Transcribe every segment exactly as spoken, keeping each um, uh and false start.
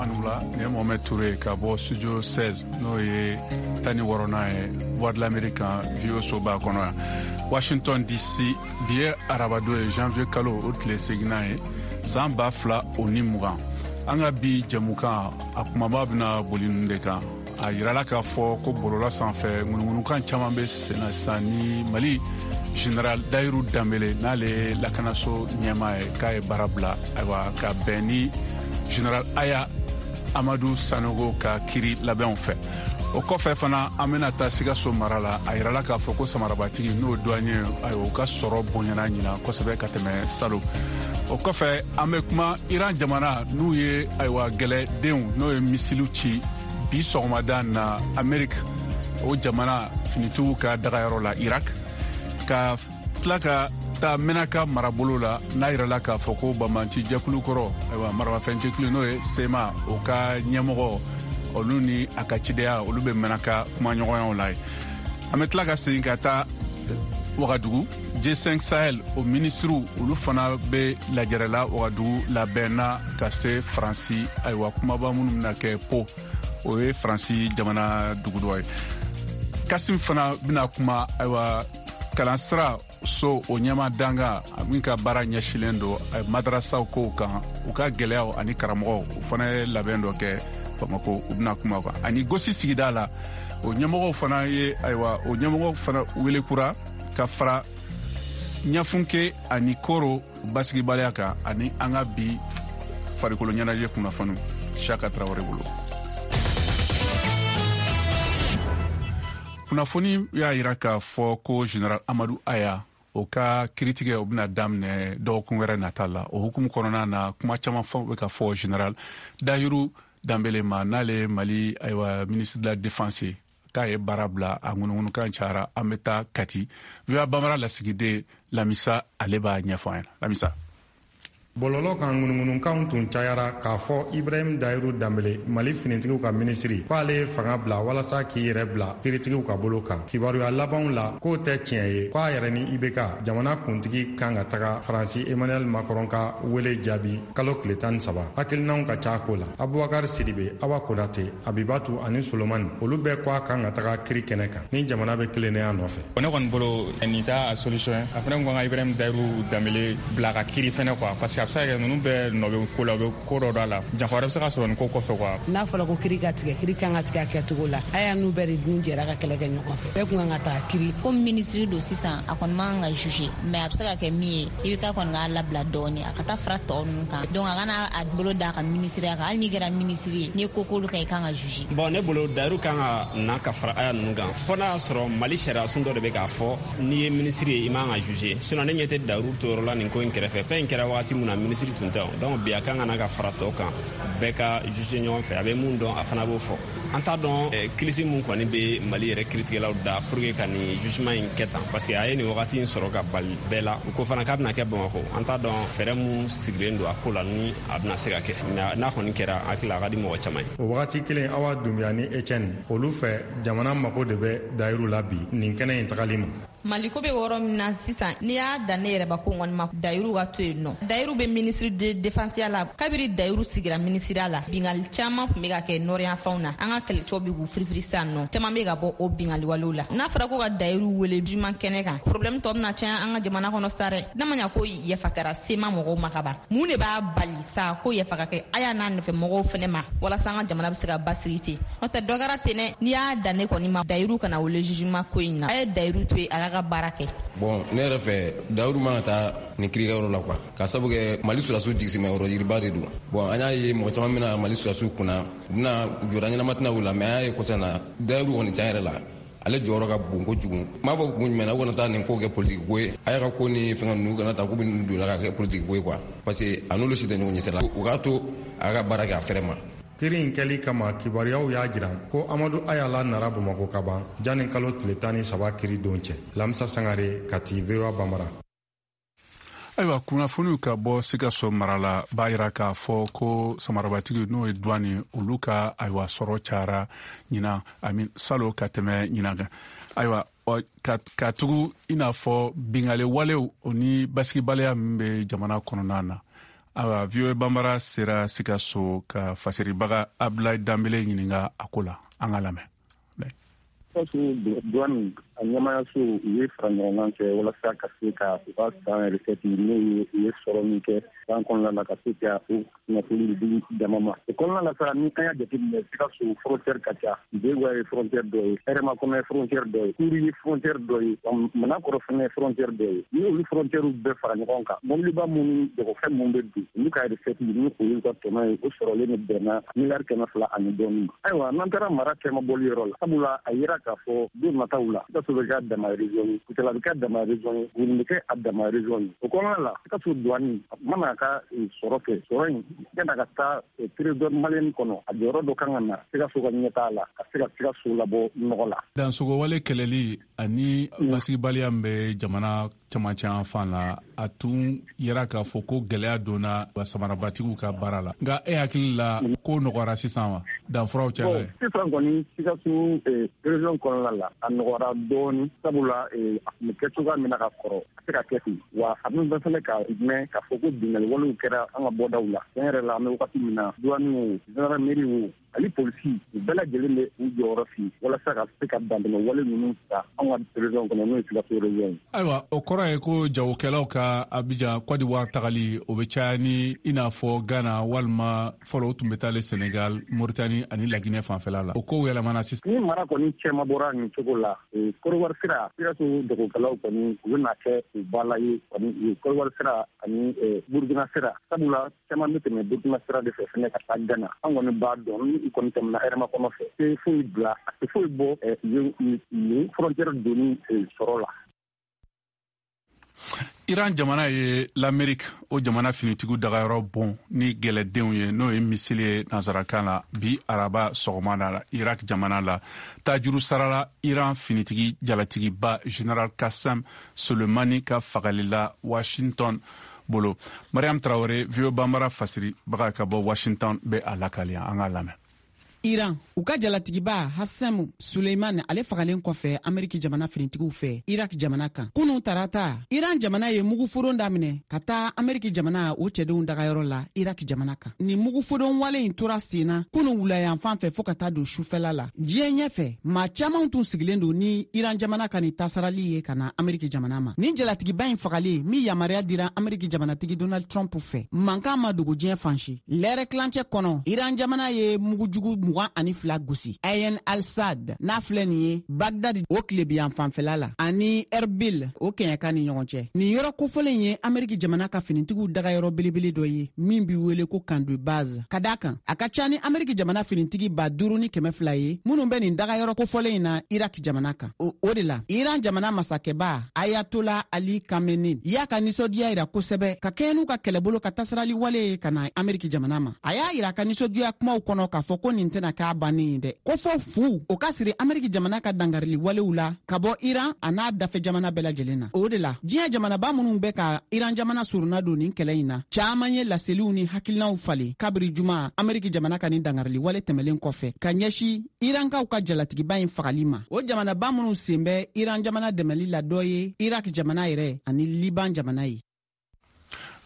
Anula ni ye Mohamed Touré ka bɔ studio seize, n'o ye tan ni wɔɔrɔnan ye Voix de l'Amérique kan V O soba kɔnɔ yan Washington D C. Bi ye arabadon ye, janvier kalo o tile seginnan ye, san ba fila o ni mugan. An ka bi jɛmukan a kumaba bɛna boli ninnu de kan. A yirala k'a fɔ ko bɔlɔlɔ sanfɛ ŋunuŋunukan caman bɛ senna sisan ni Mali Général Dayiru Danbele, n'ale ye lakanaso ɲɛmaa ye, k'a ye baara bila, ayiwa ka bɛn ni Général Aya Amadu Sanogo ka kiri labɛnw fɛ. O kɔfɛ fana an bɛna taa Sikaso mara la. A yirala k'a fɔ ko samarabatigi n'o douanier, ayiwa u ka sɔrɔ bonyana ɲinan kosɛbɛ ka tɛmɛ salon. O kɔfɛ an bɛ kuma Iran jamana n'u ye ayiwa gɛlɛdenw n'o ye misiliw ci bi sɔgɔmada na Amerique o jamana finitigiw ka dagayɔrɔ la Irak, ka tila ka taa Menaka marabolo la, n'a yirala k'a fɔ ko banbanci jɛkulu kɔrɔ, ayiwa maramafɛn jɛkulu n'o ye SEMA, o ka ɲɛmɔgɔ olu ni a ka cidenya olu bɛ Menaka kumaɲɔgɔnyaw la ye. An bɛ tila ka segin ka taa Wagadugu, G cinq Sahel o minisiriw olu fana bɛ lajɛrɛ la Wagadugu labɛnna ka se Faransi, ayiwa kumaba minnu bɛna kɛ Po, o ye Faransi jamana dugu dɔ ye. Kasim fana bɛna kuma ayiwa kalansira so o ɲɛma danga min ka baara ɲɛsilen don madarasaw kow kan, u ka gɛlɛyaw ani karamɔgɔw, u fana ye labɛn dɔ kɛ Bamako, u bɛna kuma kan. Ani gosi sigida la o ɲɛmɔgɔw fana ye ayiwa o ɲɛmɔgɔw fana wele kura ka fara Ɲafunke ani Koro basigibaliya kan, ani an ka bi farikolo ɲɛnajɛ kunnafoniw Siaka Traoré bolo. Kunnafoni y'a yira k'a fɔ ko Général Amadu Aya o ka kiritigɛ o bɛna daminɛ dɔgɔkun wɛrɛ nata la. O hukumu kɔnɔna na kuma caman fɔ bɛ ka fɔ Général Dayiru Danbele ma, n'ale ye Mali ayiwa ministre de la défense ye, k'a ye baara bila, a ŋunuŋunukan cayara. An bɛ taa Kati, V O A Bambara lasigiden Lamisa ale b'a ɲɛfɔ an ɲɛna. Lamisa. Bɔlɔlɔ kan ŋunuŋunukanw tun cayara k'a fɔ Ibrahim Dayiru Danbele, Mali finitigiw ka minisiri, k'ale ye fanga bila walasa k'i yɛrɛ bila kiritigiw ka bolo kan. Kibaruya labanw la k'o tɛ tiɲɛ ye, k'a yɛrɛ ni I B K jamana kuntigi kan ka taga Faransi Emmanuel Macron ka wele jaabi kalo tile tan ni saba. Hakilinaw ka ca ko la. Abubakar Sidibe, Awa Konate, Abibatu ani Solomani, olu bɛɛ ko a kan ka taga kiri kɛnɛ kan ni jamana bɛ tilennenya nɔfɛ. Ne kɔni bolo nin t'a solution ye. A fana ko ka Ibrahim Dayiru Danbele bila ka kiri fɛnɛ quoi, parce que a bɛ se ka kɛ ninnu bɛɛ nɔ bɛ ko la, u bɛ ko dɔ dɔ la, janfa wɛrɛ bɛ se ka sɔrɔ nin ko kɔfɛ quoi. N'a fɔra ko kiri ka tigɛ, kiri kan ka tigɛ a kɛcogo la. A y'a n'u bɛɛ de dun jɛra ka kɛlɛ kɛ ɲɔgɔn fɛ, bɛɛ kun kan ka taa kiri. Komi minisiri don sisan, a kɔni man kan ka juger, mais a bɛ se ka kɛ min ye, i bɛ ka kɔni k'a labila dɔɔni, a ka taa fara tɔ ninnu kan. Donc a kana a bolo d'a ka minisiriya kan, hali n'i kɛra minisiri ye, n'i ye ko k'olu kan, i kan ka juger. Bon, ne bolo Dayiru kan ka na ka fara Aya ninnu kan, fo n'a y'a sɔrɔ Mali sariya sun dɔ de bɛ k'a fɔ n'i ye minisiri ye i man ka juger. Sinon ne ɲɛ tɛ Dayiru to yɔrɔ la nin ko in kɛrɛfɛ. Fɛn in kɛra wagati mun na minisiri tun tɛ, donc bi a kan ka na ka fara tɔ kan, bɛɛ ka juger ɲɔgɔn fɛ. A bɛ mun dɔn a fana b'o fɔ. An t'a dɔn kilisi mun kɔni bɛ Mali yɛrɛ kiritigɛlaw da pour que ka nin jugement in kɛ tan, parce que a ye nin wagati in sɔrɔ ka bali bɛɛ la. U ko fana k'a bɛna kɛ Bamakɔ, an t'a dɔn fɛɛrɛ mun sigilen don a ko la ni a bɛna se ka kɛ, mais n'a kɔni kɛra, hakili la a ka di mɔgɔ caman ye. O wagati kelen, Awa Dunbiya ni Etienne, olu fɛ jamana mako de bɛ Dayiru la bi nin kɛnɛ in tagali ma. Maliko bɛ yɔrɔ min na sisan, n'i y'a dan ne yɛrɛbakun kɔni ma, Dayiru ka to yen nɔ. Dayiru bɛ ministre de défense la. Kabiri Dayiru sigira minisiriya la, bingali caman tun bɛ ka kɛ nɔrɔyanfanw na. An ka kɛlɛcɛw bɛ k'u firifiri sisan nɔ, caman bɛ ka bɔ o bingali walew la. N'a fɔra ko ka Dayiru wele jugement kɛnɛ kan, problème tɔ bɛna caya an ka jamana kɔnɔ sa dɛ. N'a ma ɲa ko yafa kɛra SEMA mɔgɔw ma ka ban, mun de b'a bali sa ko yafa ka kɛ a y'a n'a nɔfɛ mɔgɔw fɛnɛ ma, walasa an ka jamana bɛ se ka basigi ten? N'o tɛ dɔ kɛra ten dɛ. N'i y'a dan ne kɔni ma, Dayiru kana wele jugement ko in na. A ye Dayiru to yen, a ka baara kɛ. Bon, ne yɛrɛ fɛ Dayiru man ka taa nin kirikɛyɔrɔ la quoi, ka sabu kɛ Mali sɔrɔdasiw jigisimɛyɔrɔ yiriba de don. Bon, an y'a ye mɔgɔ caman bɛna Mali sɔrɔdasiw kunna, u bɛna jɔda ɲɛnama tɛna u la, mais an y'a ye kɔsa na Dayiru kɔni tiɲɛ yɛrɛ la ale jɔyɔrɔ ka bon kojugu. N b'a fɔ kun jumɛn na, u kana taa nin ko kɛ politiki ko ye, a y'a ka ko ni fɛngɛ ninnu kana taa k'u bɛ ninnu don la ka kɛ politiki ko ye quoi, parce que a n'olu si tɛ ɲɔgɔn ɲɛ sira la. U k'a to a ka baara kɛ a fɛrɛ ma. Kiri in kɛli kama, kibaruyaw y'a jira ko Amadu Ayala nara Bamakɔ ka ban janni kalo tile tan ni saba kiri don cɛ. Lamisa Sangare, Kati, V O A Bambara. Ayiwa, kunnafoniw ka bɔ Sikaso mara la b'a yira k'a fɔ ko samarabatigi n'o ye douane, olu ka ayiwa sɔrɔ cayara ɲinan ami salo ka tɛmɛ ɲinan kan. Ayiwa, ka, ka tugu i n'a fɔ bingali walew o ni basigibaliya min bɛ jamana kɔnɔna na. Ayiwa, V O A Bambara sera Sikaso ka fasiribaga Abdoulaye Dambele ɲininka a ko la. An ka lamɛn. Sikaso douane a ɲɛmaayaso u ye fara ɲɔgɔn kan kɛ walasa ka se ka u ka san recette n'o ye u ye sɔrɔ min kɛ san kɔnɔna la, ka se ka o kunnafoni di jama ma. O kɔnɔna la sa, ni an y'a jateminɛ, Sikaso frontière ka ca. Begoua ye frontière dɔ ye, Hɛrɛmakɔnɔ ye frontière dɔ ye, Kuri ye frontière dɔ ye, Manakɔrɔ fana ye frontière dɔ ye. Ni olu frontière bɛɛ fara ɲɔgɔn kan, mɔbiliba minnu, jagofɛn minnu bɛ don, olu ka recette ni o y'u ka tɔnɔ ye, o sɔrɔlen de bɛnna miliyari kɛmɛ fila ani dɔɔnin ma. Ayiwa, n'an taara mara cɛmabɔli yɔrɔ la, sabula a yira k'a fɔ don nataw la, Sikaso bɛ kɛ a dama région ye, Kucala bɛ kɛ a dama région ye, Buguni bɛ kɛ a dama région ye. O kɔnɔna la, Sikaso douane a mana ka sɔrɔ kɛ, sɔrɔ in yan'a ka taa trésor malien kɔnɔ, a jɔyɔrɔ dɔ kan ka na Sikaso ka ɲɛtaa la, ka se ka Sikaso labɔ nɔgɔ la. Dansogowale kɛlɛli ani basigibaliya min bɛ jamana camancɛ fan la, a tun yera k'a fɔ ko gɛlɛya donna samarabatigiw ka baara la. Nka e hakili la, ko nɔgɔyara sisan wa, danfaraw cɛla ye? Sisan kɔni, Sikaso région kɔnɔna la, a nɔgɔyara dɔɔni, sabula a tun bɛ kɛ cogoya min na ka kɔrɔ, a se ka kɛ ten. Wa a bɛ bɛɛ fɛnɛ ka mɛn k'a fɔ ko binkanni walew kɛra an ka bɔdaw la. Tiɲɛ yɛrɛ la, an bɛ wagati min na, douane o, gendarmerie o, ani polisi, u bɛɛ lajɛlen bɛ u jɔyɔrɔ fi walasa ka se ka dantɛmɛ wale ninnu ta an ka région kɔnɔ, n'o ye Sikaso région ye. Ayiwa, o kɔrɔ ye ko jagokɛlaw ka Abidjan, Côte d'Ivoire tagali, o bɛ caya ni i n'a fɔ Ghana, walima fɔlɔ o tun bɛ taale Sénégal, Mauritanie ani Laginɛ fanfɛla la. O kow yɛlɛmana sisan. Ni mara kɔni cɛma bɔra nin cogo la, Côte d'Ivoire sira, Sikaso jagokɛlaw kɔni u bɛna kɛ u ba la ye kɔni Côte d'Ivoire sira ani Burkina sira, sabula caman bɛ tɛmɛ Burkina sira de fɛ fɛnɛ ka taa Ghana. An kɔni b'a dɔn, ni kɔni tɛmɛna Hɛrɛmakɔnɔ fɛ, tɛ foyi bila, a tɛ foyi bɔ yen frontière donni sɔrɔ la. Iran jamana ye l'Amérique o jamana finitigiw dagayɔrɔ bon ni gɛlɛdenw ye, n'o ye missile ye nansarakan la, bi araba sɔgɔma la Irak jamana la. Tajuru sarala Iran finitigi jalatigiba Général Qassem Soleimani ka fagali la Washington bolo. Mariam Traoré, V O A Bambara fasiribaga ka bɔ Washington, bɛ a lakali, an k'a lamɛn. Iran u ka jalatigiba Hasem Suleiman, ale fagalen kɔfɛ Ameriki jamana finitigiw fɛ Irak jamana kan kunu tarata, Iran jamana ye muguforon daminɛ ka taa Ameriki jamana o cɛdenw dagayɔrɔ la Irak jamana kan. Ni mugufodon wale in tora sen na kunu wulayanfan fɛ fɔɔ ka taa don sufɛla la. Diɲɛ ɲɛfɛ, maa caaman tun sigilen don ni Iran jamana ka nin tasarali ye ka na Ameriki jamana ma. Nin jalatigiba in fagalen min yamaruya dira Ameriki jamanatigi Donald Trump fɛ, mankan ma dogo diɲɛ fan si. Lɛrɛ kilancɛ kɔnɔ, Iran jamana ye mugujugu mugan ani fila gosi Ayen Al-Sad n'a filɛ nin ye Bagdad o tilebiyan fanfɛla la ani Erbil o kɛɲɛka ni ɲɔgɔn cɛ. Nin yɔrɔ kofɔlen ye Ameriki jamana ka finitigiw dagayɔrɔ belebele dɔ ye min bi wele ko camp de base. Ka da kan, a ka ca ni Ameriki jamana finitigi ba duuru ni kɛmɛ fila ye minnu bɛ nin dagayɔrɔ kofɔlen in na Irak jamana kan. O, o de la, Iran jamana masakɛba Ayatola Ali Khamenei y'a ka nisɔndiya yira kosɛbɛ ka kɛɲɛ n'u ka kɛlɛbolo ka tasarali wale ye ka na Ameriki jamana ma. A y'a yira a ka nisɔndiya kumaw kɔnɔ k'a fɔ ko nin tɛna k'a bannen ye dɛ, ko fɔ fu o ka siri Ameriki jamana ka dangarili walew la ka bɔ Iran a n'a dafɛ jamana bɛɛ lajɛlen na. O de la, diɲɛ jamanaba minnu bɛ ka Iran jamana surunna don nin kɛlɛ in na, caaman ye laseliw ni hakilinaw falen kabiri juma Ameriki jamana ka nin dangarili wale tɛmɛlen kɔfɛ ka ɲɛsi Irankaw ka jalatigiba in fagali ma. O jamanaba minnu sen bɛ Iran jamana dɛmɛli la, dɔ ye Irak jamana yɛrɛ ani Liban jamana ye.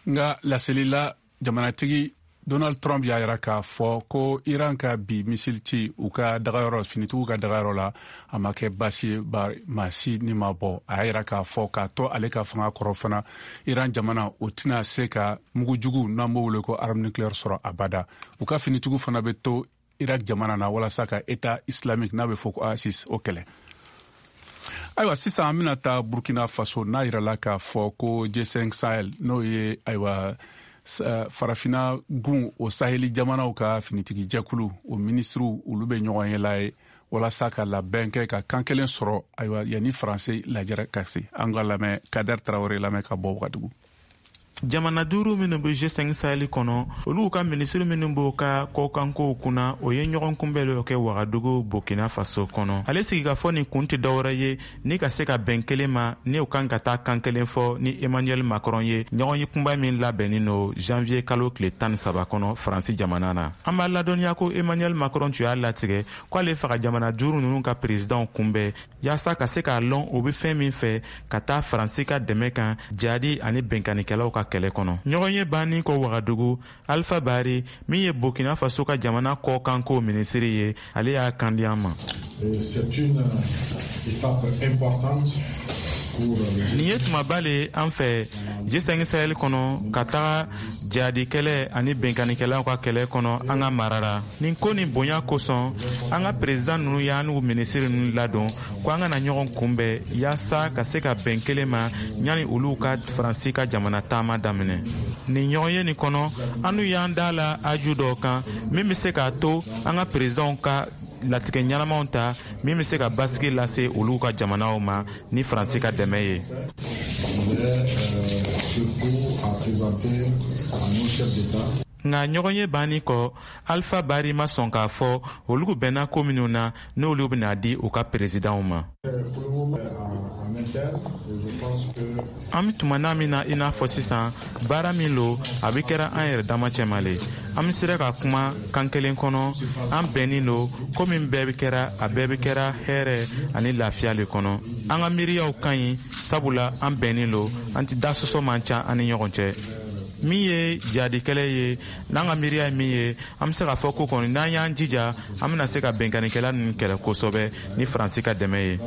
Nga laseli la, jamanatigi Donald Trump y'a yira k'a fɔ ko Iran ka bi missile ci u ka dagayɔrɔ, finitigiw ka dagayɔrɔ la, a ma kɛ baasi ye, maa si ni ma bɔ. A y'a yira k'a fɔ k'a to ale ka fanga kɔrɔ fana, Iran jamana o tɛna se ka mugujugu n'an b'o wele ko arme nucléaire sɔrɔ abada. U ka finitigiw fana bɛ to Irak jamana na walasa ka État islamique n'a bɛ fɔ ko ISIS o kɛlɛ. Ayiwa, sisan an bɛna taa Burkina Faso, n'a yirala k'a fɔ ko G cinq Sahel, n'o ye ayiwa farafina gun o saheli jamanaw ka finitigi jɛkulu, o minisiriw olu bɛ ɲɔgɔn ye la ye walasa ka labɛn kɛ ka kan kelen sɔrɔ, ayiwa, yanni Faransi lajɛrɛ ka se. An ka lamɛn Kader Tarawele lamɛn ka bɔ Wagadugu. Jamana duuru minnu bɛ G cinq Sahel kɔnɔ, olu ka minisiri minnu b'o ka kɔkankow kunna, o ye ɲɔgɔn kunbɛn dɔ kɛ Wagadugu, Burkina Faso kɔnɔ. Ale sigikafɔ nin kun tɛ dɔwɛrɛ ye ni ka se ka bɛn kelen ma ni o kan ka taa kan kelen fɔ ni Emmanuel Macron ye, ɲɔgɔn ye kunba min labɛnnin no janvier kalo tile tan ni saba kɔnɔ Faransi jamana na. An b'a ladɔnniya ko Emmanuel Macron tun y'a latigɛ k'ale faga jamana duuru ninnu ka présidentw kunbɛn yaasa ka se k'a lɔn o be fɛn min fɛ ka taa Faransi ka dɛmɛ kan jadi ani bɛnkanikɛlaw ka. kɛlɛ kɔnɔ. Ɲɔgɔnye banni kɔ Wagadugu, Alpha Bari min ye Burkina Faso ka jamana kɔkanko minisiri ye, ale y'a kan di an ma. C'est une étape importante. Nin ye tumaba le an fɛ G cinq Sahel kɔnɔ ka taga jihadikɛlɛ ani benkannikɛlaw ka kɛlɛ kɔnɔ an ka mara la. Nin ko nin bonya kosɔn, an ka perezidan ninnu y'an n'u minisiri ninnu ladon ko an kana ɲɔgɔn kunbɛn yaasa ka se ka bɛn kelen ma yanni olu ka Faransi ka jamana taama daminɛ. Nin ɲɔgɔnye nin kɔnɔ, an n'u y'an da la aju dɔw kan min bɛ se k'a to an ka perezidanw ka latigɛ ɲɛnamaw ta min bɛ se ka basigi lase olu ka jamanaw ma ni Faransi ka dɛmɛ ye. Nka ɲɔgɔnye banni kɔ, Alpha Bari ma sɔn k'a fɔ olu bɛnna ko minnu na n'olu bɛna di u ka perezidanw ma. An bɛ tuma n'a min na i n'a fɔ sisan, baara min lo a bɛ kɛra an yɛrɛ dama cɛma le. An bɛ sera ka kuma kan kelen kɔnɔ, an bɛnnin lo ko min bɛɛ bɛ kɛra a bɛɛ bɛ kɛra hɛrɛ ani lafiya le kɔnɔ. An ka miiriyaw ka ɲi sabula an bɛnnin lo, an tɛ da sɔsɔ man ca an ni ɲɔgɔn cɛ. Min ye jihadikɛlɛ ye, n'an ka miiriya ye min ye, an bɛ se k'a fɔ ko kɔni n'an y'an jija, an bɛna se ka bɛnkannikɛla ninnu kɛlɛ kosɛbɛ ni Faransi ka dɛmɛ ye.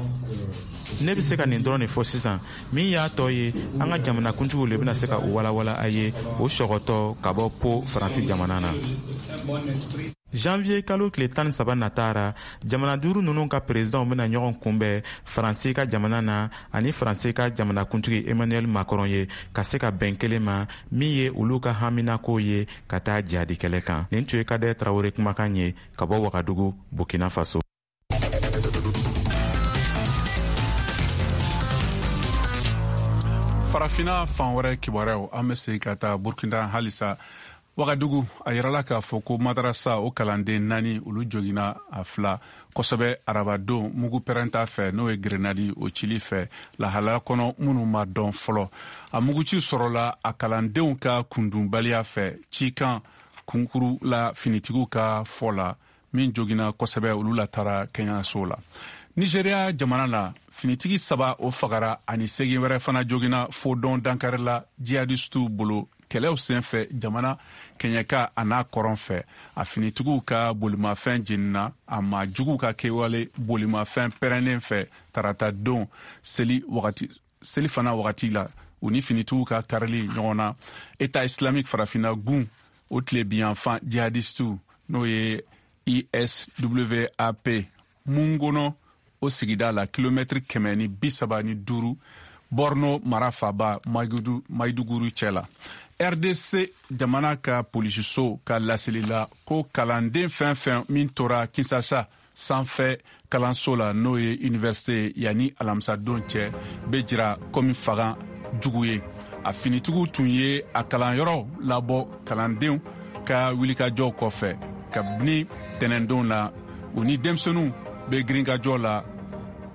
Ne bɛ se ka nin dɔrɔn de fɔ sisan. Min y'a tɔ ye, an ka jamanakuntigiw le bɛna se ka u walawala a ye o sɔgɔtɔ ka bɔ po Faransi jamana na. Janvier kalo tile tan ni saba natara, jamana duuru ninnu ka perezidanw bɛna ɲɔgɔn kunbɛn Faransi ka jamana na ani Faransi ka jamanakuntigi Emmanuel Macron ye ka se ka bɛn kelen ma min ye olu ka haminako ye ka taa jihadikɛlɛ kan. Nin tun ye Kader Traoré kumakan ye ka bɔ Wagadugu, Burkina Faso. Farafina fan wɛrɛ kibaruyaw, an bɛ segin ka taa Burkina halisa. Wagadugu, a yirala k'a fɔ ko madarasa o kalanden naani olu joginna a fila kosɛbɛ arabadon mugu pɛrɛnta fɛ, n'o ye grenadi o cili fɛ lahalaya kɔnɔ minnu ma dɔn fɔlɔ. A muguci sɔrɔla a kalandenw ka kundunbaliya fɛ cikan kunkuru la finitigiw ka fɔ la, min joginna kosɛbɛ olu latara kɛnɛyaso la. Nigeria jamana la, finitigi saba o fagara ani segin wɛrɛ fana joginna fodɔn dankari la jihadistiw bolo kɛlɛw senfɛ jamana kɛɲɛka a n'a kɔrɔn fɛ. A finitigiw ka bolimafɛn jenina a ma juguw ka kɛwale bolimafɛn pɛrɛnnen fɛ tarata don seli wagati seli fana wagati la, u ni finitigiw ka karili ɲɔgɔn na. État islamique farafinna gun o tilebinyanfan jihadistiw n'o ye I S W A P Mungono o sigida la kilomɛtiri kɛmɛ ni bi saba ni duuru Borno mara faaba Maiduguri cɛ la. R D C jamana ka polisiso ka laseli la ko kalanden fɛn fɛn min tora Kinshasa sanfɛ kalanso la n'o ye université yanni alamisadon cɛ bɛ jira komi fagan jugu ye. A finitigiw tun ye a kalanyɔrɔ labɔ kalandenw ka wulikajɔw kɔfɛ kabini tɛnɛndon la, u ni denmisɛnninw bɛ girinkajɔ la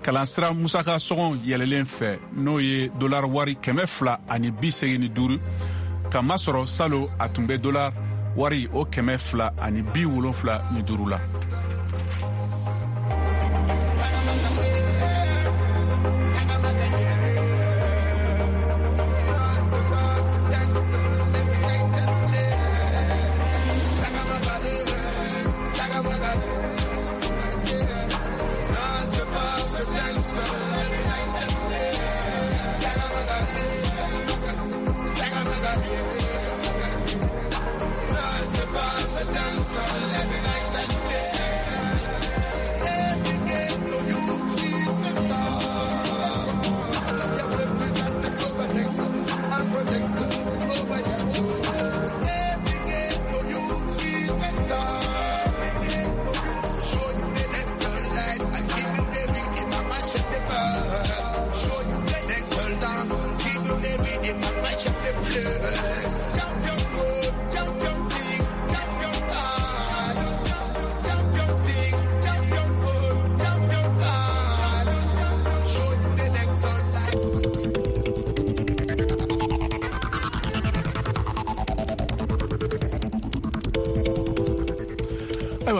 kalansira musaka sɔngɔ yɛlɛlen fɛ n'o ye dollar wari kɛmɛ fila ani bi seegin ni duuru, ka masɔrɔ salo a tun bɛ dollar wari o kɛmɛ fila ani bi wolonfila ni duuru la.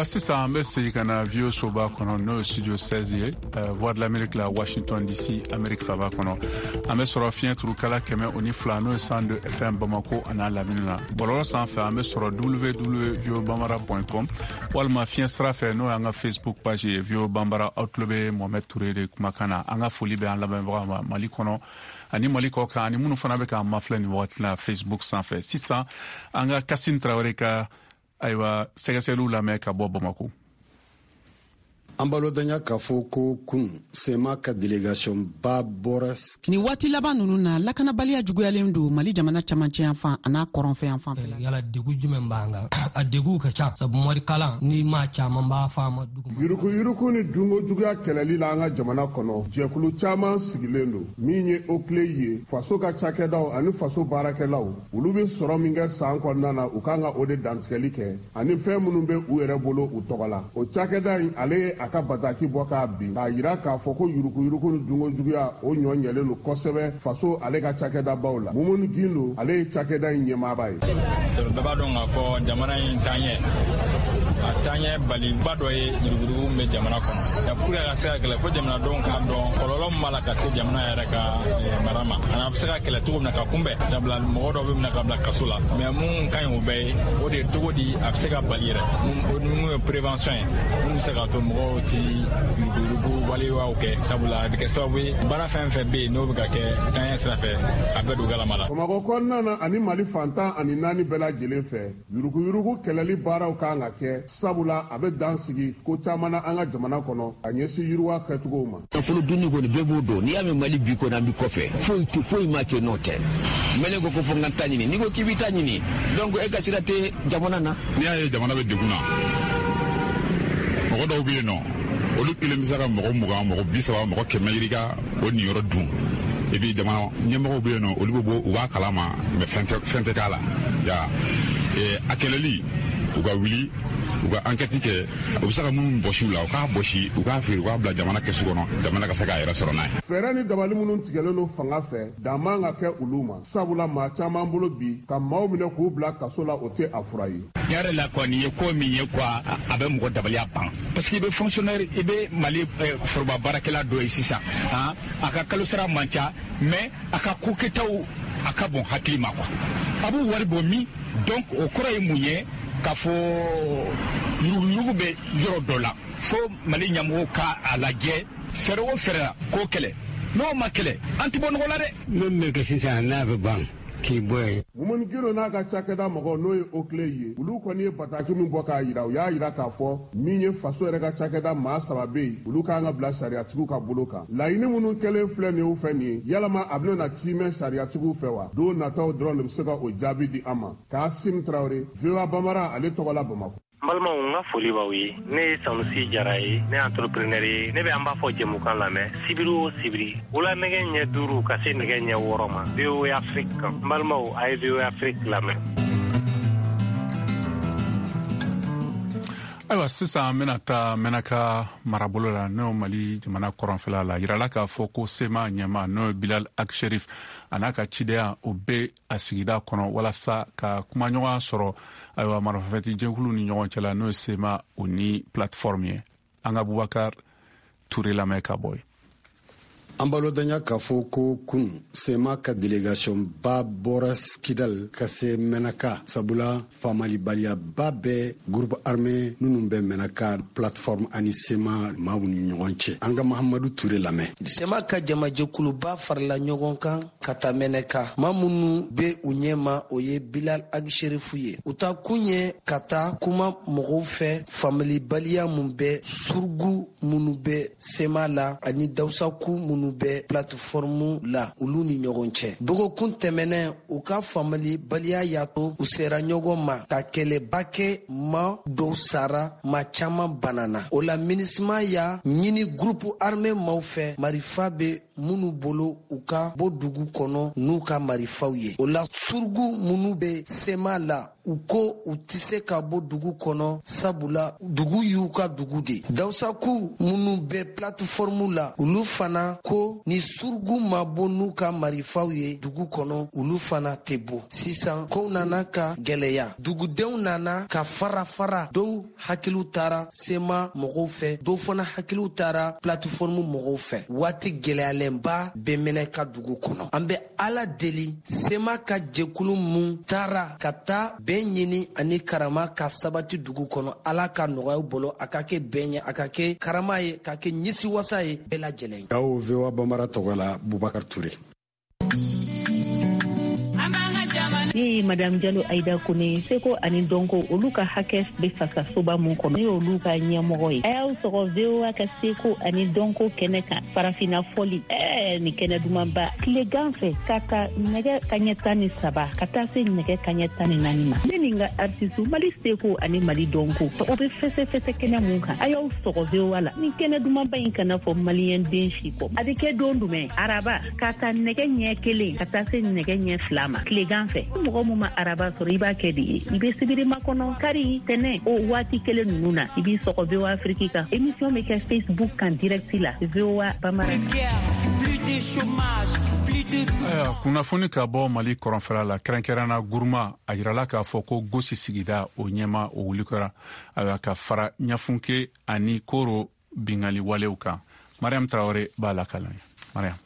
Sisan an bɛ segin ka na V O A soba kɔnɔ, n'o ye studio seize ye, Voix de l'Amérique la, Washington D C, Amérique faba kɔnɔ. An bɛ sɔrɔ fiɲɛ turukala kɛmɛ o ni fila, n'o ye cent deux F M, Bamako a n'a lamini na. Bɔlɔlɔ sanfɛ, an bɛ sɔrɔ W W W bambara point com, walima fiɲɛ sira fɛ, n'o y'an ka Facebook page ye, V O A Bambara. Aw tulo bɛ Mohamed Touré de kumakan na. An ka foli bɛ an lamɛnbagaw ma Mali kɔnɔ ani Mali kɔ kan, ani minnu fana bɛ k'an mafilɛ nin wagati la Facebook sanfɛ. Sisan an ka Kasim Tarawele ka, ayiwa, sɛgɛsɛgɛliw lamɛn ka bɔ Bamako. An balodanya k'a fɔ ko kun C M A ka délégation ba bɔra. Ni waati laban nunu na, lakanabaliya juguyalen don Mali jamana camancɛ yan fan a n'a kɔrɔnfɛ yan fan fɛ. Yala degu jumɛn b'an kan? A deguw ka ca, sabu morikalan ni maa caman b'a fɔ a ma dugu. Yurukuyuruku ni dunko juguya kɛlɛli la an ka jamana kɔnɔ, jɛkulu caman sigilen don. Min ye OCLEI ye, faso ka cakɛdaw ani faso baarakɛlaw, olu bɛ sɔrɔ min kɛ san kɔnɔna na, u kan ka o de dantigɛli kɛ ani fɛn minnu bɛ u yɛrɛ bolo u tɔgɔ la. O cakɛda in, ale ye a ka bataki bɔ k'a bin k'a yira k'a fɔ ko yurukuyuruku ni dunko juguya, o ɲɔ ɲɛlen don kosɛbɛ faso ale ka cakɛdabaw la. Mumuni Gindo, ale ye cakɛda in ɲɛmaaba ye. Sabu bɛɛ b'a dɔn k'a fɔ jamana in taaɲɛ, a taaɲɛ baliba dɔ ye yuruguyurugu min bɛ jamana kɔnɔ. Pour que a ka se ka kɛlɛ, fo jamanadenw k'a dɔn kɔlɔlɔ min b'a la ka se jamana yɛrɛ ka mara ma, ani a bɛ se ka kɛlɛ cogo min na ka kunbɛn. Sabula mɔgɔ dɔw bɛ minɛ ka bila kaso la, mais mun ka ɲi o bɛɛ ye, o de ye cogo di a bɛ se ka bali yɛrɛ, mun ye prévention ye, mun bɛ se k'a to mɔgɔw ti yuruguyurugu waleyaw kɛ. Sabula a bɛ kɛ sababu ye, baara fɛn fɛn bɛ yen n'o bɛ ka kɛ taaɲɛ sira fɛ, a bɛɛ don galama la. Bamakɔ kɔnɔna na ani Mali fantan ani naani bɛɛ lajɛlen fɛ, yuruguyurugu kɛlɛli baaraw kan ka kɛ, sabula a bɛ dan sigi ko caman na an ka jamana kɔnɔ ka ɲɛsin yiriwa kɛcogow ma. Nafolo dunni kɔni, bɛɛ b'o dɔn. N'i y'a mɛn Mali bi kɔni, an bi kɔfɛ, foyi foyi ma kɛ n'o tɛ. Mɛlɛn ko ko fo n ka taa ɲini. N'i ko k'i b'i ta ɲini, donc e ka sira tɛ jamana na. N'i y'a ye jamana bɛ degun na, mɔgɔ dɔw bɛ yen nɔ, olu kelen bɛ se ka mɔgɔ mugan, mɔgɔ bi saba, mɔgɔ kɛmɛ yirika o niyɔrɔ dun. Et puis jamana ɲɛmɔgɔw bɛ yen nɔ, olu bɛ bɔ, u b'a kalama, mais fɛn tɛ fɛn tɛ k'a la ya. A kɛlɛli, u ka wuli, u ka enquête kɛ, u bɛ se ka minnu bɔsi u la, u k'a bɔsi, u k'a feere, u k'a bila jamana kɛsu kɔnɔ, jamana ka se k'a yɛrɛ sɔrɔ n'a ye. Fɛɛrɛ ni dabali minnu tigɛlen don fanga fɛ, dan man ka kɛ olu ma, sabula maa caman bolo bi, ka maaw minɛ k'u bila kaso la, o tɛ a fura ye. Tiɲɛ yɛrɛ la quoi, nin ye ko min ye quoi, a bɛ mɔgɔ dabaliya ban, parce que i bɛ fonctionnaire, i bɛ Mali foroba baarakɛla dɔ ye sisan, a ka kalo sara man ca, mais a ka ko kɛtaw a ka bon hakili ma quoi. A b'u wari bɔ min? Donc o kɔrɔ ye mun ye? K'a fɔ yuruguyurugu bɛ yɔrɔ dɔ la, fo Mali ɲɛmɔgɔw ka a lajɛ fɛɛrɛ o fɛɛrɛ la k'o kɛlɛ. N'o ma kɛlɛ, an tɛ bɔ nɔgɔ la dɛ. Min bɛ kɛ sisan, n'a bɛ ban k'i bɔ yen. Mumuni Gindo n'a ka cakɛda mɔgɔw, n'o ye OCLEI ye, olu kɔni ye bataki min bɔ k'a yira, u y'a yira k'a fɔ min ye faso yɛrɛ ka cakɛda maa saba bɛ yen, olu kan ka bila sariyatigiw ka bolo kan. Laɲini minnu kɛlen filɛ nin ye u fɛ nin ye, yalama a bɛna na tiimɛ sariyatigiw fɛ wa? Don nataw dɔrɔn de bɛ se ka o jaabi di an ma. Kasim Tarawele, V O A Bamara, ale tɔgɔ la, Bamakɔ. N balimaw, n ka foli b'aw ye. Ne ye Sanusi Jara ye, ne ye entrepreneur ye. Ne bɛ an b'a fɔ jɛmukan lamɛn sibiri o sibiri, wula nɛgɛ ɲɛ duuru ka se nɛgɛ ɲɛ wɔɔrɔ ma, V O A Afrique kan. N balimaw, a ye V O A Afrique lamɛn. Ayiwa, sisan an bɛna taa Mɛnaka marabolo la, n'o Mali jamana kɔrɔnfɛla la. Yirala k'a fɔ ko C M A ɲɛma, n'o ye Bilal Ag Acherif, a n'a ka cidenya, o bɛ a sigida kɔnɔ walasa ka kumaɲɔgɔnya sɔrɔ, ayiwa, marifafɛti jɛkulu ni ɲɔgɔn cɛ la, n'o ye C M A o ni plateforme ye. An ka Bubakar Ture lamɛn ka bɔ yen. An balodanya k'a fɔ ko kun C M A ka délégation ba bɔra Kidal ka se Mɛnaka, sabula faamalibaliba bɛ groupe armé minnu bɛ Mɛnaka, plateforme ani C M A maaw ni ɲɔgɔn cɛ. An ka Mahamadu Ture lamɛn. C M A ka jamajɛkuluba farala ɲɔgɔn kan ka taa Mɛnɛka. Maa minnu bɛ u ɲɛma, o ye Bilal Ag Acherif ye. U ta kun ye ka taa kuma mɔgɔw fɛ faamalibaliya mun bɛ surugu minnu bɛ C M A la ani dawusaku minnu bɛ plateforme la, olu ni ɲɔgɔn cɛ. Dɔgɔkun tɛmɛnɛn, u ka faamalibaliya y'a to u sera ɲɔgɔn ma ka kɛlɛba kɛ, ma dɔw sara, ma caman banana. O la, MINUSMA y'a ɲini groupe armé maaw fɛ, marifa bɛ minnu bolo u ka bɔ dugu kɔnɔ n'u ka marifaw ye. O la surugu minnu bɛ sema la, u ko u tɛ se ka bɔ dugu kɔnɔ, sabula dugu y'u ka dugu de. Dawusaku minnu bɛ plateforme la, olu fana ko ni surugu ma bɔ n'u ka marifaw ye dugu kɔnɔ, olu fana tɛ bɔ. Sisan kow nana ka gɛlɛya, dugudenw nana ka fara fara, dɔw hakiliw taara sema mɔgɔw fɛ, dɔw fana hakiliw taara plateforme mɔgɔw fɛ. Waati gɛlɛyalenba bɛ Mɛnɛka dugu kɔnɔ. An bɛ Ala deli sema ka jɛkulu mun taara ka taa bɛn ɲini ani karama ka sabati dugu kɔnɔ, Ala ka nɔgɔya bolo, a ka kɛ bɛn ye, a ka kɛ karama ye, ka kɛ ɲɛsiwasa ye bɛɛ lajɛlen. Aw V O A Bambara tɔgɔ la, Bubakar Ture. Ne ye Madame Jalo Aida Kone, seko ani dɔnko olu ka hakɛ bɛ fasasoba mun kɔnɔ, ne y'olu ka ɲɛmɔgɔ ye. A y'aw sɔgɔ V O A ka seko ani dɔnko kɛnɛ kan, farafinna fɔli, ɛɛ nin kɛnɛ dumanba, tilegan fɛ ka ta nɛgɛ kaɲɛ tan ni saba ka taa se nɛgɛ kaɲɛ tan ni naani ma. Ne ni n ka artiste Mali seko ani Mali dɔnko o bɛ fɛsɛfɛsɛ kɛnɛ mun kan, a y'aw sɔgɔ V O A la. Nin kɛnɛ dumanba in kana fɔ maliyɛn den si kɔ. A bɛ kɛ don jumɛn? Araba ka ta nɛgɛ ɲɛ kelen ka taa se nɛgɛ ɲɛ fila ma tilegan fɛ. Mɔgɔ mun ma araba sɔrɔ, i b'a kɛ de ye, i bɛ sibiri makɔnɔ, kari, tɛnɛ, o waati kelen ninnu na, i b'i sɔgɔ V O A Afrique kan. Émission bɛ kɛ Facebook kan direct la, V O A Bambara. Ayiwa, kunnafoni ka bɔ Mali kɔrɔnfɛla la, kɛrɛnkɛrɛnna Guruma, a yirala k'a fɔ ko Gosi sigida o ɲɛma o wuli kɛra, ayiwa, ka fara Ɲafunke ani Koro bingali walew kan. Mariam Traoré b'a lakala. Mariam.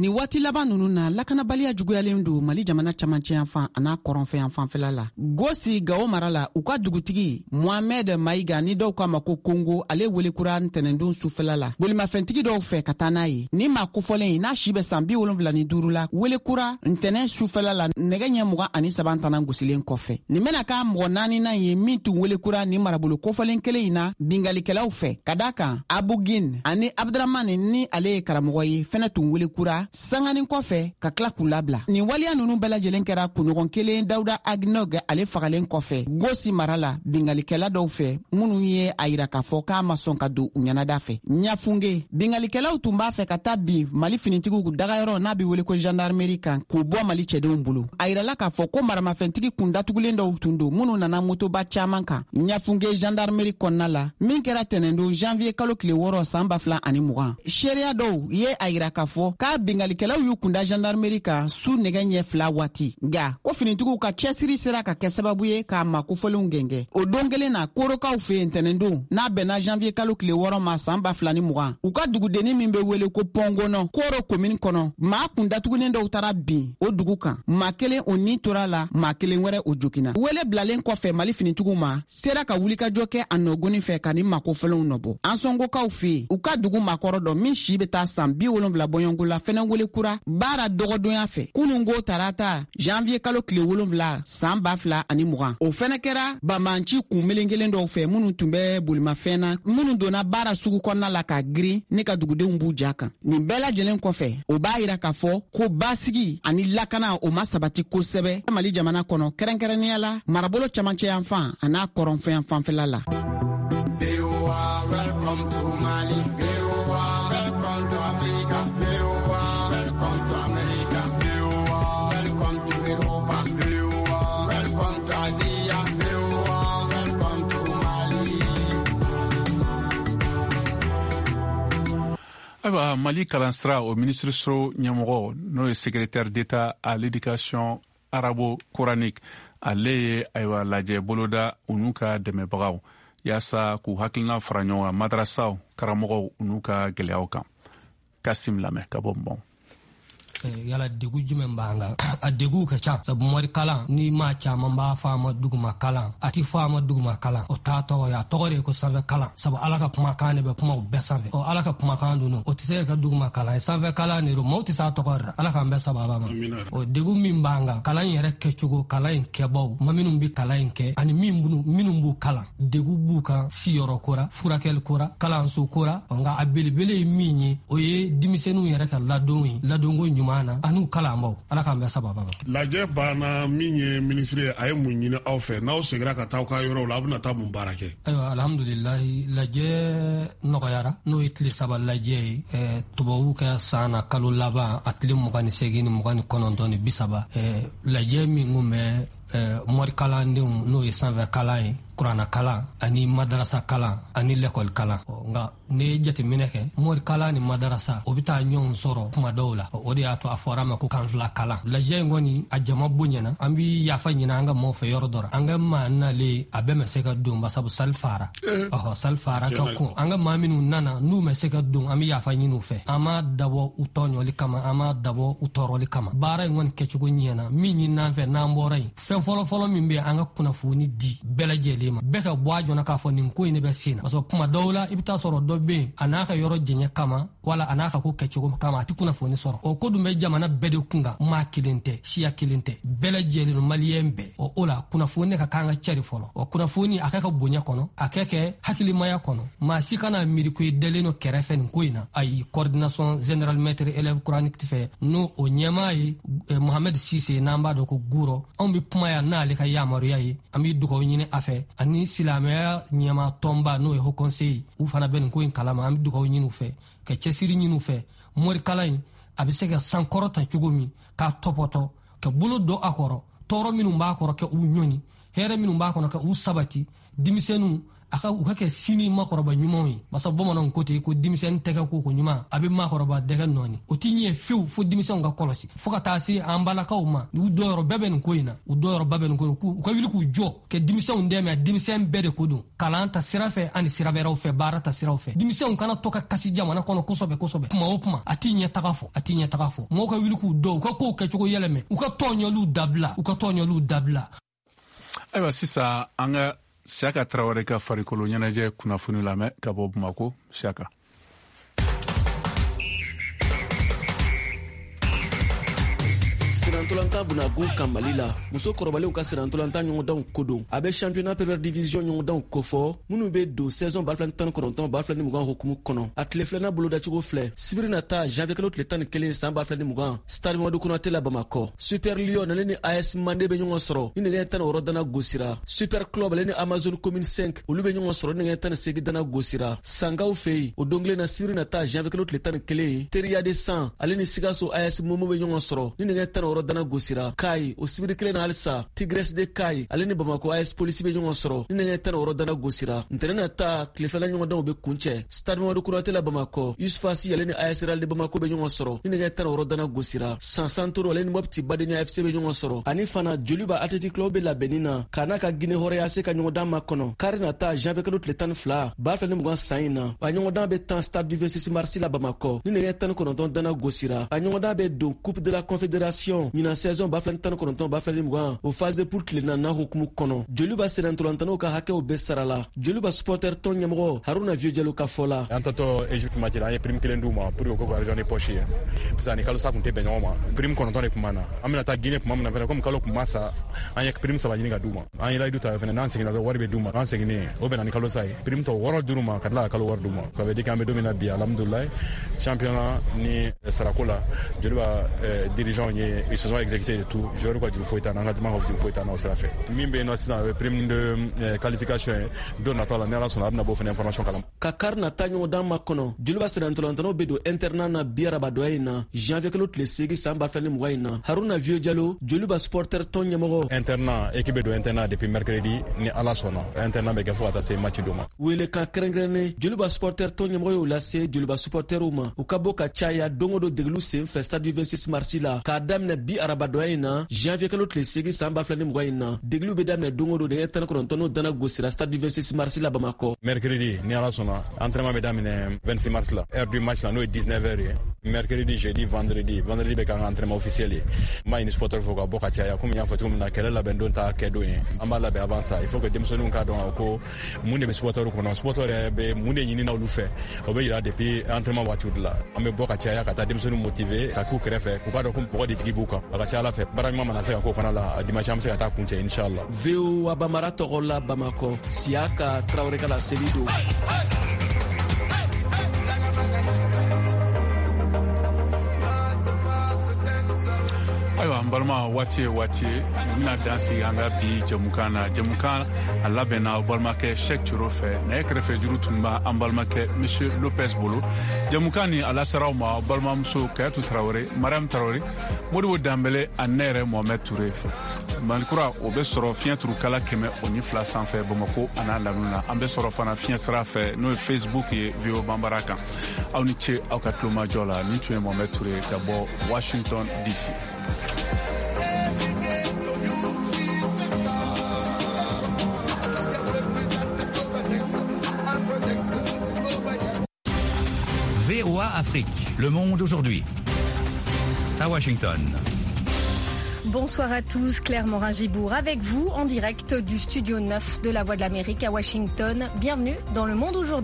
Ni waati laban nunu na, lakanabaliya juguyalen don Mali jamana camancɛ yanfan an'a kɔrɔnfɛ yanfanfɛla la. Gosi Gawo mara la, u ka dugutigi Mohamed Maïga ni dɔw k'a ma ko Kongo, ale welekura ntɛnɛndon sufɛla la bolimafɛntigi dɔw fɛ ka taa n'a ye. Ni maa kofɔlen ye n'a si bɛ san bi wolonfila ni duuru la, welekura ntɛnɛn sufɛla la nɛgɛ ɲɛ mugan ani saba tanan gosilen kɔfɛ. Nin bɛna k'a mɔgɔ naaninan ye min tun welekura ni marabolo kofɔlen kelen in na bingalikɛlaw fɛ, ka da kan Abugin ani Abdramani ni ale ye karamɔgɔ ye fɛnɛ tun welekura sanganin kɔfɛ ka tila k'u labila. Nin waleya nunu bɛɛ lajɛlen kɛra kunɲɔgɔn kelen Dawuda Agnog ale fagalen kɔfɛ Gosi mara la bingalikɛla dɔw fɛ minnu ye a yira k'a fɔ k'a ma sɔn ka don u ɲɛnada fɛ. Ɲafunge bingalikɛlaw tun b'a fɛ ka taa bin Mali finitigiw dagayɔrɔ n'a bɛ wele ko gendarmerie kan k'u bɔ Mali cɛdenw bolo. A yirala k'a fɔ ko maramafɛntigi kun datugulen dɔw tun don minnu nana motoba caman kan Ɲafunge gendarmerie kɔnɔna la, min kɛra tɛnɛndon janvier kalo tile wɔɔrɔ san ba fila ani mugan. Seereya dɔw ye a yira k'a fɔ k'a bingalikɛlaw y'u kunda gendarmerie kan su nɛgɛ ɲɛ fila waati, nka ko finitigiw ka cɛsiri sera ka kɛ sababu ye k'a ma kofɔlenw gɛngɛ. O don kelen na, Korokaw fɛ yen tɛnɛndon n'a bɛnna janvier kalo tile wɔɔrɔ ma san ba fila ni mugan, u ka dugudennin min bɛ wele ko Pɔngɔnɔ Koro komini kɔnɔ, maa kun datugulen dɔw taara bin o dugu kan, maa kelen o ni tora la, maa kelen wɛrɛ o joginna. Wele bilalen kɔfɛ Mali finitigiw ma sera ka wulikajɔ kɛ a nɔgɔnin fɛ ka ni maa kofɔlenw nɔbɔ. Ansɔngokaw fɛ yen, u ka dugu maakɔrɔ dɔ min si bɛ taa san bi wolonfila bɔɲɔgɔnko la fɛnɛ wele kura baara dɔgɔdonya fɛ kunungo tarata janvier kalo tile wolonfila san ba fila ani mugan. O fɛnɛ kɛra banbanci kun melenkelen dɔw fɛ minnu tun bɛ bolimafɛn na, minnu donna baara sugu kɔnɔna la ka girin ne ka dugudenw b'u ja kan. Nin bɛɛ lajɛlen kɔfɛ, o b'a yira k'a fɔ ko basigi ani lakana o ma sabati kosɛbɛ Mali jamana kɔnɔ, kɛrɛnkɛrɛnnenya la marabolo camancɛ yanfan an'a kɔrɔnfɛ yanfanfɛla la. Welcome to Mali, V O A, welcome to Africa, V O A, welcome to America, V O A, welcome to Europa, V O A, welcome to Asia, V O A, welcome to Mali. Ayiwa, Mali kalansira o minisiriso ɲɛmɔgɔ n'o ye secrétaire d'État à l'éducation arabo-coranique, ale ye ayiwa lajɛ boloda u n'u ka dɛmɛbagaw yaasa k'u hakilina fara ɲɔgɔn kan madrasaw karamɔgɔw n'u ka gɛlɛyaw kan. Kasim lamɛn ka bɔ Mɔn. Yala degun jumɛn b'an kan? A degun ka ca, sabu mori kalan ni maa caman b'a fɔ a ma duguma kalan, a ti fɔ a ma duguma kalan, o t'a tɔgɔ ye, a tɔgɔ de ye ko sanfɛ kalan, sabu Ala ka kumakan de bɛ kuma o bɛɛ sanfɛ. Ɔ Ala ka kumakan dun o tɛ se ka kɛ duguma kalan ye, sanfɛ kalan de don, maaw tɛ s'a tɔgɔ yɛrɛ. Ala k'an bɛɛ sababa ma. O degun min b'an kan, kalan in yɛrɛ kɛcogo, kalan in kɛbaw, ma minnu bɛ kalan in kɛ ani min minnu b'u kalan, degun b'u kan siyɔrɔ ko ra, furakɛli ko ra, kalanso ko ra. Nka a belebele ye min ye, o ye denmisɛnninw yɛrɛ ka ladon ye, ladonko ɲuman. ɲuman na an'u kalanbaw. Ala k'an bɛɛ sababa ma. Lajɛ banna, min ye minisiri ye, a ye mun ɲini aw fɛ? N'aw seginna ka taa aw ka yɔrɔw la, aw bɛna taa mun baara kɛ? Ayiwa, alhamdulilayi, lajɛ nɔgɔyara, n'o ye tile saba lajɛ ye, tubabuw ka san na kalo laban a tile mugan ni seegin ni mugan ni kɔnɔntɔn ni bi saba. Lajɛ min kun bɛ morikalandenw, n'o ye sanfɛ kalan ye, kuranna kalan ani madarasa kalan ani lɛkɔli kalan. Nka ne ye jateminɛ kɛ, morikalan ni madarasa o bɛ taa ɲɔgɔn sɔrɔ kuma dɔw la, o de y'a to a fɔra ma ko kan fila kalan. Lajɛ in kɔni a jama bonyana, an bi yafa ɲini an ka maaw fɛ yɔrɔ dɔ la, an ka maa nalen a bɛɛ ma se ka don basabu sali fara, ɔhɔ sali fara ka kun. An ka maa minnu nana n'u ma se ka don, an bɛ yafa ɲini u fɛ. An m'a dabɔ u tɔɲɔli kama, an m'a dabɔ u tɔɔrɔli kama. Baara in kɔni kɛcogo ɲɛna. Min ɲini an fɛ n'an bɔra yen, fɛn fɔlɔfɔlɔ min bɛ an ka kunnafoni di bɛɛ lajɛlen ma, bɛɛ ka bɔ a jɔna k'a fɔ nin ko in de bɛ sen na. Parce que kuma dɔw la i bɛ taa sɔrɔ dɔ bɛ yen, a n'a ka yɔrɔ jɛɲɛ kama wala a n'a ka ko kɛcogo kama, a tɛ kunnafoni sɔrɔ. O ko dun bɛ jamana bɛɛ de kun kan, maa kelen tɛ, siya kelen tɛ, bɛɛ lajɛlen maliyɛn bɛɛ. O o la kunnafoni ka kan ka cari fɔlɔ. O kunnafoni a kɛ ka bonya kɔnɔ, a kɛ kɛ hakilimaya kɔnɔ. Maa si kana miiri ko i dalen don kɛrɛfɛ nin ko in na. Ayi, coordination générale maître élève coranique fɛ, n'o o ɲɛmaa ye Mohamed Sise, n'an b'a dɔn ko Guro, anw bɛ kuma yan n'ale ka yamaruya ye, an bɛ dugawu ɲini a fɛ, ani silamɛya ɲɛmaa tɔnba n'o ye Haut Conseil, u fana bɛ nin ko in kalama, an bɛ dugawu ɲini u fɛ, ka cɛsiri ɲini u fɛ. Morikalan in a bɛ se ka sankɔrɔta cogo min, k'a tɔpɔtɔ, ka bolo don a kɔrɔ, tɔɔrɔ minnu b'a kɔrɔ ka u ɲɔni, hɛrɛ minnu b'a kɔnɔ ka u sabati, denmisɛnninw a ka u ka kɛ sini makɔrɔba ɲumanw ye. Masa bamananw ko ten ko denmisɛnnin tɛgɛ ko ko ɲuman a bɛ makɔrɔba dɛgɛ nɔɔni. O ti ɲɛ fiyewu fo denmisɛnw ka kɔlɔsi, fo ka taa se an balakaw ma. U dɔyɔrɔ bɛɛ bɛ nin ko in na, u dɔyɔrɔba bɛ nin ko in na, u ka wuli k'u jɔ ka denmisɛnw dɛmɛ. Denmisɛn bɛɛ de ko don, kalan ta sira fɛ ani sira wɛrɛw fɛ, baara ta siraw fɛ. Denmisɛnw kana to ka kasi jamana kɔnɔ kosɛbɛ kosɛbɛ. Kuma o kuma a ti ɲɛ taga fɔ, a ti ɲɛ taga fɔ. Mɔgɔw ka wuli k'u dɔn, u ka kow kɛcogo yɛlɛmɛ, u ka tɔɲɔliw dabila, u ka tɔɲɔliw dabila. Ayiwa, sisan an ka Siaka Traoré ka farikolo ɲɛnajɛ kunnafoni lamɛn ka bɔ Bamako. Siaka. Senantolantan bunagun kan Mali la, muso kɔrɔbalenw ka senantolantan ɲɔgɔndanw kodon. A bɛ championnat première division ɲɔgɔndanw kofɔ minnu bɛ don saison ba fila ni tan ni kɔnɔntɔn ba fila ni mugan hukumu kɔnɔ. A tile filanan bolodacogo filɛ: sibiri nata janvier kalo tile tan ni kelen san ba fila ni mugan, stade Mamadu Konate la Bamakɔ. Super Lion ale ni A S Mande bɛ ɲɔgɔn sɔrɔ ni nɛgɛ tan ni wɔɔrɔ dana gosira. Super Club ale ni Amazon Commune cinq olu bɛ ɲɔgɔn sɔrɔ ni nɛgɛ tan ni seegin dana gosira. Sangaw fɛ yen, o don kelen na sibiri nata janvier kalo tile tan ni kelen, Teriya de San ale ni Sikaso A S Momo bɛ ɲɔgɔn sɔrɔ ni nɛgɛ tan ni wɔɔrɔ dana gosira. Kayi, o sibiri kelen na halisa, Tigres de Kayi ale ni Bamako A S Polisi bɛ ɲɔgɔn sɔrɔ ni nɛgɛ tan ni wɔɔrɔ dana gosira. Ntɛnɛn nata tile filanan ɲɔgɔndanw bɛ kuncɛ stade Mamadu Konate la Bamakɔ. Yusufasi ale ni A S Real de Bamako bɛ ɲɔgɔn sɔrɔ ni nɛgɛ tan ni wɔɔrɔ dana gosira. San Santoro ale ni Mopti Badenya F C bɛ ɲɔgɔn sɔrɔ. Ani fana Joliba Athletic Club bɛ labɛnni na k'a n'a ka Guinée hɔrɔnya se ka ɲɔgɔndan makɔnɔ kari nata janvier kalo tile tan ni fila ba fila ni mugan san in na. A ɲɔgɔndan bɛ tan stade du vingt-six mars la Bamakɔ ni nɛgɛ tan ni kɔnɔntɔn dana gosira. A ɲɔgɔndan bɛ don Coupe de la Confédération ɲinan saison ba fila ni tan ni kɔnɔntɔn ba fila ni mugan o phase de poule tile naaninan hukumu kɔnɔ. Joliba sennantolantanaw ka hakɛw bɛɛ sara la. Joliba supporter tɔn ɲɛmɔgɔ Haruna Vieux Jalo ka fɔ la: an tatɔ Egypte match la, an ye prime kelen d'u ma pour que u k'u ka argent de poche ye, parce que ani kalo sa kun tɛ bɛn ɲɔgɔn ma. Prime kɔnɔntɔn de kun b'an na. An bɛna taa Guinée tuma min na fɛnɛ, komi kalo kun ma sa, an ye prime saba ɲini ka d'u ma. An ye layidu ta fɛnɛ, n'an seginna dɔrɔn wari bɛ d'u ma. An seginnen o bɛnna ni kalo sa ye, prime tɔ wɔɔrɔ d'u ma ka tila ka kalo wari d'u ma. Ça veut dire k'an bɛ don min na bi, alhamdulilayi, championnat ni sarako la, Joliba dirigeant ye, ils se sont exécutés de tout. Joueur ka juru foyi t'an na, an ka jama ka juru foyi t'an na o sira fɛ. Min bɛ yen nɔ sisan, o ye prime de qualification ye. Don nataw la, ni Ala sɔnna, a bɛna bɔ fɛnɛ information kalama. Ka kari nata ɲɔgɔndan makɔnɔ, Joliba sennantolantanaw bɛ don internat na bi arabadɔya in na janvier kalo tile seegin san ba fila ni mugan in na. Haruna Vieux Jalo, Joliba supporter tɔn ɲɛmɔgɔ: internat, équipe bɛ don internat depuis mercredi, ni Ala sɔnna internat bɛ kɛ fo ka taa se match don ma. Welekan kɛrɛnkɛrɛnnen Joliba supporter tɔn ɲɛmɔgɔ y'o lase Joliba supporterw ma, u ka bɔ ka caya don o don degeliw sen fɛ stade du vingt-six mars la k'a daminɛ bi arabadɔya in na janvier kalo tile seegin san ba fila ni mugan in na. Degeliw bɛ daminɛ don o don nɛgɛ tan ni kɔnɔntɔn n'o dana gosira stade du vingt-six mars la Bamakɔ. Mercredi ni Ala sɔnna, entraînement bɛ daminɛ vingt-six mars la, heure du match la n'o ye dix-neuf heures ye. Mercredi, jeudi, vendredi, vendredi bɛ k'an ka entraînement officiel ye. N b'a ɲini supporter fɛ ka bɔ ka caya, komi n y'a fɔ cogo min na, kɛlɛ labɛn don t'a kɛ don ye, an b'a labɛn avant ça. Il faut que denmisɛnninw k'a dɔn ko mun de bɛ supporter kɔnɔ, supporter yɛrɛ bɛ mun de ɲini na olu fɛ, o bɛ yira depuis entraînement waatiw de la. An bɛ bɔ ka caya ka taa denmisɛnninw motiver ka k'u kɛrɛfɛ, k'u k'a dɔn ko mɔgɔ de jigi b'u kan. A ka ca Ala fɛ, baara ɲuman mana se ka k'o fana la, dimanche an bɛ se ka taa kuncɛ inchallah. V O A Bamara tɔgɔ la Bamakɔ, Siaka Traoré ka laseli don. Ayiwa, n balima, waati ye waati ye n bɛna dan sigi an ka bi jɛmukan na. Jɛmukan a labɛnna aw balimakɛ Cheick Turo fɛ. Nɛgɛ kɛrɛfɛ juru tun b'a an balimakɛ Monsieur Lopez bolo. Jɛmukan nin a lasera aw ma aw balimamuso Kayatu Tarawele, Mariam Tarawele, Modibo Danbele ani ne yɛrɛ Mohamed Toure fɛ. Malikura o bɛ sɔrɔ fiɲɛ turukala kɛmɛ o ni fila sanfɛ Bamako a n'a lamini na. An bɛ sɔrɔ fana fiɲɛ sira fɛ, n'o ye Facebook ye, V O A Banbara kan. Aw ni ce aw ka tulomajɔ la. Nin tun ye Mohamed Toure ka bɔ Washington D C. V O A Afrique, le monde aujourd'hui. À Washington. Bonsoir à tous, Claire Morin-Gibourg avec vous en direct du studio neuf de la Voix de l'Amérique à Washington. Bienvenue dans le monde aujourd'hui.